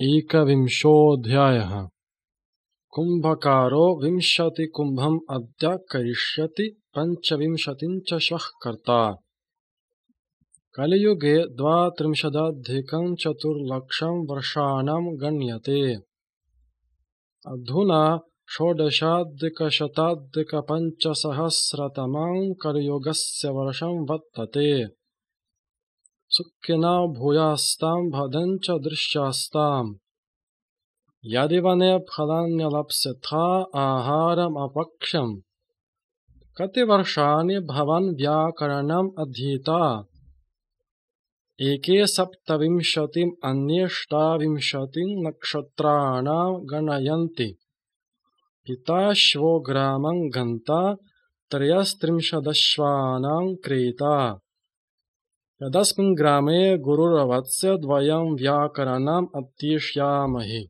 एकविंशोऽध्यायः। कुम्भकारो 20 कुम्भम् अद्य करिष्यति 25 च श्वः कर्ता। कलियुगे 32,400,000 वर्षाणां गण्यते। अधुना 16,500,000 कलियुगस्य वर्षं वर्तते। सुखिनो भूयास्तां भद्रञ्च दृश्यास्ताम्। यदि वने फलान्यलप्स्यथा आहारमपक्ष्यम्। कति वर्षाणि भवान् व्याकरणम् अधीता? एके 27 अन्ये 28 नक्षत्राणां गणयन्ति। पिताश्वो ग्रामं गन्ता 33 क्रीता। यदस्मिन् ग्रामे गुरुर्वत्स्य 2 व्याकरणम् अध्येष्यामहि।